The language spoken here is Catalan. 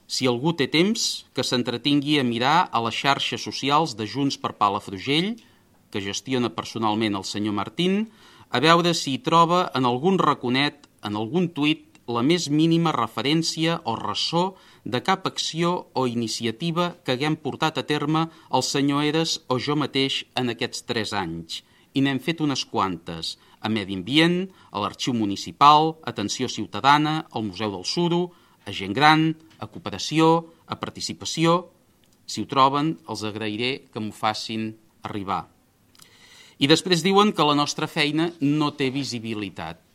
Si algú té temps, que s'entretingui a mirar a les xarxes socials de Junts per Palafrugell, que gestiona personalment el senyor Martín, a veure si hi troba en algun raconet, en algun tuit, la més mínima referència o ressò de cap acció o iniciativa que haguem portat a terme el senyor Eres o jo mateix en aquests 3 anys. I n'hem fet unes quantes, a Medi Ambient, a l'Arxiu Municipal, Atenció Ciutadana, al Museu del Suro, a Gent Gran, a Cooperació, a Participació. Si ho troben, els agrairé que m'ho facin arribar. I després diuen que la nostra feina no té visibilitat.